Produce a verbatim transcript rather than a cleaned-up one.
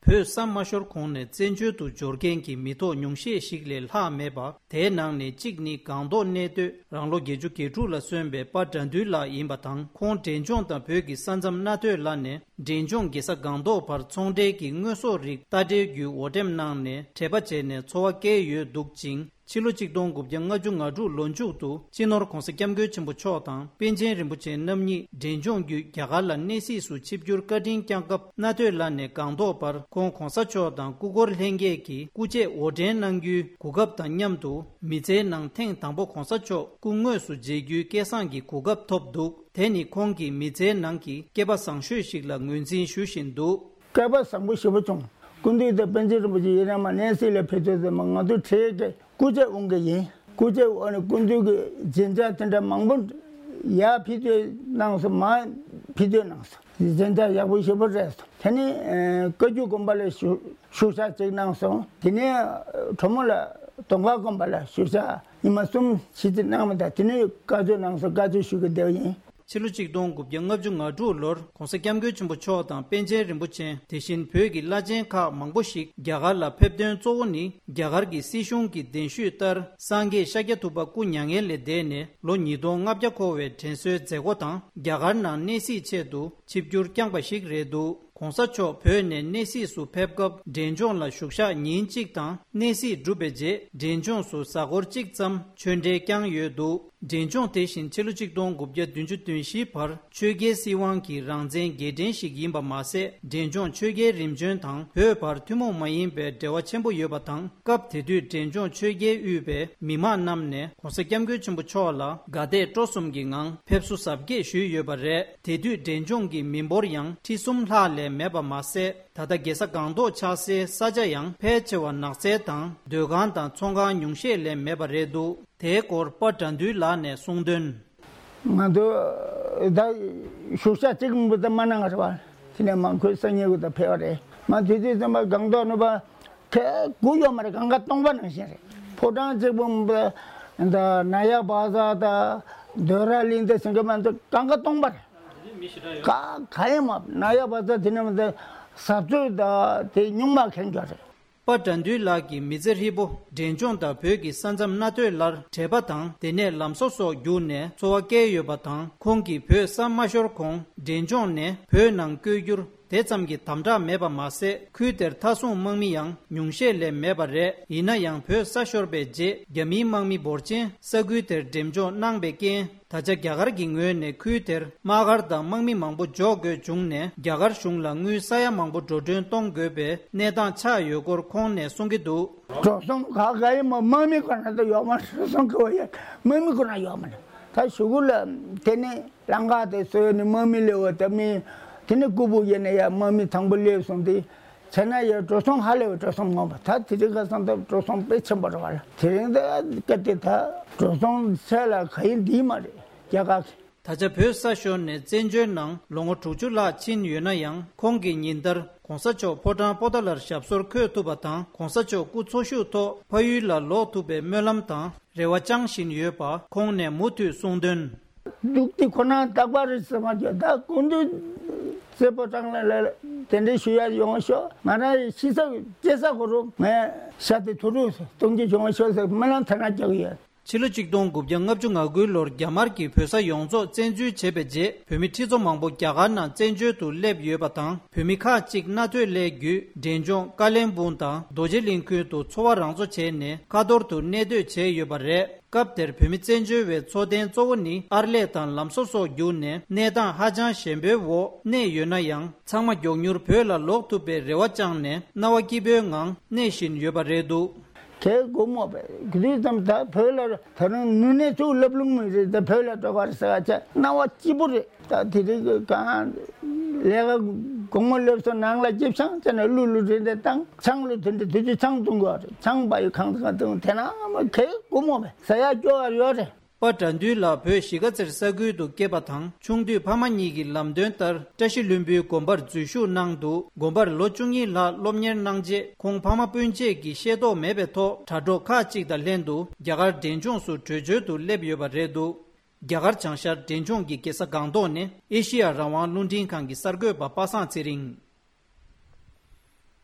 བོད་ས་མ་ཤོར་གོང་ནས་བཙན་བྱོལ་དུ་འབྱོར་མཁན་གྱི་མི་ཐོག་ཉུང་ཤས་ཤིག་ལས་ལྷག་མེད་པ། དེའི་ནང་ནས་གཅིག་ནི་སྒང་ཏོག་གནས་སྡོད་རང་ལོ་བརྒྱད་ཅུ་གྱ་དྲུག་ལ་སོན་པའི་པ་དགྲ་འདུལ་ལགས་ཡིན་པ་དང་། ཁོང་འབྲས་ལྗོངས་དང་བོད་ཀྱི་ས་མཚམས་རྣ་ཐོས་ལ་ནས་འབྲས་ལྗོངས་རྒྱལ་ས་སྒང་ཏོག་བར་ཚོང་འབྲེལ་གྱི་དངོས་ཟོག་རིགས་རྟ་དྲེལ་བརྒྱུད་འོར་འདྲེན་གནང་ནས་འབྲེལ་པ་བྱས་ནས་འཚོ་བ་བསྐྱལ་ཡོད་འདུག་ཅིང་། ཕྱི་ལོ་ཆིག་སྟོང་དགུ་བརྒྱ་ལྔ་བཅུ་ང་དྲུག་ལོ་མཇུག་ཏུ་སྤྱི་ནོར་༧གོང་ས་༧སྐྱབས་མགོན་ཆེན་པོ་མཆོག་དང་པཎ་ཆེན་རིན་པོ་ཆེ་རྣམ་གཉིས་འབྲས་ལྗོངས་བརྒྱུད་རྒྱ་གར་ལ་གནས་གཟིགས་སུ་ཆིབས་བསྒྱུར་བཀའ་དྲིན་བསྐྱངས་སྐབས། རྣ་ཐོས་ལ་ནས་སྒང་ཏོག་བར་ཁོང་གོང་ས་མཆོག་དང་སྐུ་འཁོར་ལྷན་རྒྱས་ཀྱིས་སྐུ་ཆས་འོར་འདྲེན་གནང་རྒྱུའི་གོ་སྐབས་དང་མཉམ་དུ། མི་ཚེའི་ནང་ཐེངས་དང་པོ་གོང་ས་མཆོག་སྐུ་དངོས་སུ་མཇལ་རྒྱུའི་སྐལ་བཟང་གི་གོ་སྐབས་ཐོབ་འདུག་དེ་ནི་ཁོང་གི་མི་ཚེའི་ནང་གི་སྐལ་པ་བཟང་ཤོས་ཤིག་ལ་ངོས་འཛིན་ཞུ་བཞིན་འདུག་སྐལ་པ་བཟང་པོ་ཞེ་པོ་བྱུང་། སྐུ་མདུན་དང་པཎ་ཆེན་རིན་པོ་ཆེ་ཡིན་ན་མ་གནས་གཟིགས་ལ་ཕེབས་དུས་ཙམ་པ་ང་ཚོ་གྲས་ཀྱི་སྐུ་ཆས་འོང་གི་ཡིན། སྐུ་ཆས་འོང་ནས་སྐུ་མདུན་གྱི་རྒྱན་ཆ་དེ་འདྲ་མང་པོ་ཡར་ཕུལ་དུས་གནང་སོང་། མར་ཕུལ་དུས་གནང་སོང་། རྒྱན་ཆ་ཡག་པོ་ཞེ་པོ་རེད་སོང་། དེ་ནས་ཨ་བཀའ་བརྒྱུད་དགོན་པ་ལ་ཞུ་ཞུ་ཞག་ཅིག་གནང་སོང་། དེ་ནས་ཨ་གྲོ་མོ་ལ་དོང་ཁ་དགོན་པ་ལ་ཞུ་ཞག་ཉི་མ་གསུམ་བཞི་ཅིག་གནང་བ་དང་། དེ་ནས་བཀའ་ཆོས་གནང་སོང་། བཀའ་ཆོས་ཞུ་གི་བསྡད་ཡིན། ཕྱི་ལོ་ཆིག་སྟོང་དགུ་བརྒྱ་ལྔ་བཅུ་ང་དྲུག་ལོར་༧གོང་ས་༧སྐྱབས་མགོན་ཆེན་པོ་མཆོག་དང་པཎ་ཆེན་རིན་པོ་ཆེ། དེ་བཞིན་བོད་ཀྱི་བླ་ཆེན་ཁག་མང་པོ་ཞིག་རྒྱ་གར་ལ་ཕེབས་དོན་གཙོ་བོ་ནི། རྒྱ་གར་གྱི་སྲིད་གཞུང་གི་གདན་ཞུས་ལྟར་སངས་རྒྱས་ཤཱཀྱ་ཐུབ་པ་སྐུ་མྱ་ངན་ལས་འདས་ནས་ལོ་ཉིས་སྟོང་ལྔ་བརྒྱ་འཁོར་བའི་དྲན་གསོའི་མཛད་སྒོ་དང་། རྒྱ་གར་ནང་གནས་གཟིགས་ཆེད་དུ་ཆིབས་བསྒྱུར་བསྐྱངས་པ་ཞིག་རེད་འདུག་གོང་ས་མཆོག་བོད་ནས་གནས་གཟིགས་སུ་ཕེབས་སྐབས། འབྲས་ལྗོངས་ལ་བཞུགས་ཞག་ཉིན་གཅིག་དང་། གནས་གཟིགས་གྲུབ་པའི་རྗེས། འབྲས་ལྗོངས་སུ་གཟའ་འཁོར་གཅིག་ཙམ་ཆོས་འབྲེལ་བསྐྱངས་ཡོད་འདུག་འབྲས་ལྗོངས་དེ་བཞིན་ཕྱི་ལོ་ཆིག་སྟོང་དགུ་བརྒྱ་བདུན་ཅུ་དོན་བཞིའི་བར་ཆོས་རྒྱལ་སྲིད་དབང་གི་རང་བཙན་རྒྱལ་ཕྲན་ཞིག་ཡིན་པ་མ་ཟད། འབྲས་ལྗོངས་ཆོས་རྒྱལ་རིམ་བྱོན་དང་བོད་བར་ཐུན་མོང་མ་ཡིན་པའི་འབྲེལ་བ་ཆེན་པོ་ཡོད་པ་དང་། སྐབས་དེ་དུས་འབྲས་ལྗོངས་ཆོས་རྒྱལ་དབུས་པའི་མི་མང་རྣམས་ནས་༧གོང་ས་༧སྐྱབས་མགོན་ཆེན་པོ་མཆོག་ལ་དགའ་དད་སྤྲོ་གསུམ་གྱི་ངང་ཕེབས་བསུ་གཟབ་རྒྱས་ཞུས་ཡོད་པ་རེད། དེ་དུས་འབྲས་ལྗོངས་ཀྱི་མི་འབོར་ཡང་ཁྲི་གསུམ་ལྷག་ལས་མེད་པ་མ་ཟད། ད་ལྟ་རྒྱལ་ས་སྒང་ཏོག་ཆགས་སའི་ས་ཆ་ཡང་ཕལ་ཆེ་བ་ནགས་ཚལ་དང་སྡོད་ཁང་དང་ཚོང་ཁང་ཉུང་ཤས་ལས་མེད་པ་རེད་འདུག་དེའི་སྐོར་པ་དགྲ་འདུལ་ལགས་ནས་གསུངས་དོན། ང་ཚོ་ད་བཞུགས་ཞག་གཅིག་མིན་པ་ད་མ་གནང་བ་རེད་བ། དེ་ནས་མ་ཁོས་སང་ཉིན་གུ་ད་ཕེབས་པ་རེད། མ་དེ་དུས་ཙམ་པ་སྒང་ཏོག་ནུབ་པ་ཁེ་དགུ་ཡོད་མ་རེད། གང་ག་སྟོང་པ་ནང་བཞིན་རེད། ཕོ་བྲང་གཅིག་པུ་མིན་པ་ད་ན་ཡག་བ་ཟ་ད་འདོད་ར་གླིང་ད་ཟིན་གི་མ་ཚོ་གང་ག་སྟོང་པ་རེད། ག་ག་ཡིན་མ་ན་ཡག་བ་ཟ་དེ་ནས་མ་ད་ཟབ་ཚོད་ད་དེ་ཉུང་མ་མཁན་འགྱོ་རེད། པ་དགྲ་འདུལ་ལགས་ཀྱི་མི་ཚེ་ཧྲིལ་པོ་འབྲས་ལྗོངས་དང་བོད་ཀྱི་ས་མཚམས་སྣ་ཐོས་ལར་བྲེལ་པ་དང་དེ་ནས་ལམ་བཟོ་སོགས་བརྒྱུད་ནས་འཚོ་བ་བསྐྱལ་ཡོད་པ་དང་། ཁོང་གིས་བོད་ས་མ་ཤོར་གོང་འབྲས་ལྗོངས་ནས་བོད་ནང་བསྐྱོད་རྒྱུར་དེ་ཙམ་གྱི་དམ་དྲག་མེད་པ་མ་ཟད། ཁུལ་དེར་མཐའ་སྲུང་དམག་མི་ཡང་ཉུང་ཤས་ལས་མེད་པ་རེད། ཡིན་ན་ཡང་བོད་ས་ཤོར་བའི་རྗེས་རྒྱ་མིའི་དམག་མི་འབོར་ཆེན་ས་ཁུལ་དེར་འགྲེམས་འཇོག་གནང་བའི་རྐྱེན། ད་ཆ་རྒྱ་གར་གྱི་ངོས་ནས་ཁུལ་དེར་དམག་སྒར་དང་དམག་མི་མང་པོ་འཇོག་དགོས་བྱུང་ནས། རྒྱ་གར་གཞུང་ལ་དངུལ་ས་ཡ་མང་པོ་འགྲོ་གྲོན་གཏོང་དགོས་པའི་གནས་སྟངས་ཆགས་ཡོད་སྐོར་ཁོང་ནས་གསུང་གི་འདུག་འགྲོ་སོང་ག་ག་ཡིན་མོ་དམག་མི་ཁོ་ན་ད་ཡོག་མ་འགྲོ་སོང་གི་བ་ཡ་དམག་མི་ཁོ་ན་ཡོག་མ་ན་ད་ཞུ་གུ་ལ་དེ་ནས་ལང་ཀ་དེ་སོ་ཡོ་ནི་དམག་མི་ལེ་བ་ད་མི་དེ་ནས་ཀུ་བུ་ཡེ་ནས་ཡ་དམག་མི་དང་པོ་སླེབས་སོང་དེ། བྱས་ན་ཡང་འགྲོ་སོང་ཧ་ལས་པའི་འགྲོ་སོང་མང་པོ་ད་དེ་རིང་ཁ་སང་ད་འགྲོ་སོང་དཔེ་ཆེན་པོ་རེད་བ་ལ། དེ་རིང་ད་སྐད་དེ་ད་འགྲོ་སོང་བྱས་ལ་ག་ཡིན་འདི་མ་རེད་རྒྱ་གར་གྱི། ད་ཆ་བོད་ས་ཤོར་ནས་བཙན་བྱོལ་ནང་ལོ་ངོ་དྲུག་ཅུ་ལྷག་ཕྱིན་ཡོད་ན་ཡང་། ཁོང་གིས་ཉིན་ལྟར་གོང་ས་མཆོག་ཕོ་བྲང་པོ་ཏཱ་ལར་ཞབས་སོར་འཁོད་ཐུབ་པ་དང་། གོང་ས་མཆོག་སྐུ་འཚོ་བཞུགས་ཐོག་ཕ་ཡུལ་ལ་ལོག་ཐུབ་པའི་སྨོན་ལམ་དང་རེ་བ་བཅངས་བཞིན་ཡོད་པ་ཁོང་ནས་མུ་མཐུད་གསུངས་དོན། འདུག་དེ་ཁོ་ན་རྟག་པར་རེད་ཟེར་མ་རྒྱུ་ད་ཀུན་འདུས་རྩེ་པོ་ཀྲང་ལ་ལ་དེ་འདྲའི་ཞུ་ཡ་ཡོང་ཤོག་ང་རང་ཡི་ཤི་ས་སྐྱེ་ས་གོ་རུ་ངས་ཤ་དེ་ཐུ་རུ་གཏོང་རྒྱུ་བྱུང་ཤོག་ཟེར་སྨོན་ལམ་ཐ་ན་རྒྱག་གི་ཡོད། ཕྱི་ལོ་ཆིག་སྟོང་དགུ་བརྒྱ་ལྔ་བཅུ་ང་དགུ་ལོར་རྒྱ་དམར་གྱིས་བོད་ས་ཡོངས་རྫོགས་བཙན་འཛུལ་བྱས་པའི་རྗེས། བོད་མི་ཁྲི་ཚོ་མང་པོ་རྒྱ་གར་ནང་བཙན་བྱོལ་དུ་སླེབས་ཡོད་པ་དང་། བོད་མི་ཁག་ཅིག་སྣ་ཐོས་སླད་བརྒྱུད་འབྲས་ལྗོངས་ཀ་ལན་སྦུག་དང་རྡོ་རྗེ་གླིང་ཁུལ་དུ་འཚོ་བ་རང་གཙོ་བྱས་ནས་ཁ་ཐོར་དུ་གནས་སྡོད་བྱས་ཡོད་པ་རེད། སྐབས་དེར་བོད་མི་བཙན་བྱོལ་བའི་འཚོ་རྟེན་གཙོ་བོ་ནི་ཨར་ལས་དང་ལམ་བཟོ་སོགས་བརྒྱུད་ནས་གནས་སྟངས་ཧ་ཅང་ཞན་པོའི་འོག་གནས་ཡོད་ན་ཡང་། ཚང་མ་མགྱོགས་མྱུར་བོད་ལ་ལོག་ཐུབ་པའི་རེ་བ་བཅངས་ནས་སྣང་བ་སྐྱིད་པོའི་ངང་གནས་བཞིན་ཡོད་པ་རེད་འདུག་དེ་དགོང་མོ་བས་དུས་ཙམ་ད་བོད་ལ་ད་རུང་ནུས་གནས་ཚུགས་ལབ་ལུང་མི་རེད། ད་བོད་ལ་འགྲོ་བར་ཟེར་བ་ཆ་སྣང་བ་སྐྱིད་པོ་རེད། ད་དེ་རིང་གི་གང་ལས་ཀ་དགོང་མོ་སླེབས་སོང་ནང་ལ་སྐྱིད་ཆང་ཅན་ནས་གླུ་གླུ་རེ་འདྲ་བཏང་ཆང་གླུ་དེ་འདྲ་དུས་ཚོད་ཆང་བཏུང་དགོས་རེད། ཆང་པ་ཡི་ཁང་ཁང་བཏུང་དེ་ན་མ་གེ་དགོང་མོ་བས་ཟ་ཡ་སྐྱོ་བ་ཡོད་རེད། པ་དགྲ་འདུལ་ལགས་བོད་གཞིས་ཀ་རྩེར་ས་ཁུལ་དུ་སྐྱེས་པ་དང་། ཆུང་དུས་ཕ་མ་གཉིས་ཀྱི་ལམ་སྟོན་ལྟར་བཀྲ་ཤིས་ལྷུན་པོའི་དགོན་པར་འཛུལ་ཞུགས་གནང་འདུག་དགོན་པར་ལོ་བཅུ་གཉིས་ལྷག་སློབ་གཉེར་གནང་རྗེས། ཁོང་ཕ་མ་སྤུན་མཆེད་ཀྱི་ཤེས་རྟོགས་མེད་པའི་ཐོག་དྲ་གྲོགས་ཁག་ཅིག་དང་ལྷན་དུ་རྒྱ་གར་འབྲས་ལྗོངས་སུ་བྲོས་བྱོལ་དུ་སླེབས་ཡོད་པ་རེད་འདུག་རྒྱ་གར་བྱང་ཤར་འབྲས་ལྗོངས་ཀྱི་རྒྱལ་ས་སྒང་ཏོག་ནས་ཨེ་ཤེ་ཡ་རང་དབང་རླུང་འཕྲིན་ཁང་གི་གསར་འགོད་པ་པ་སངས་ཚེ་རིང་།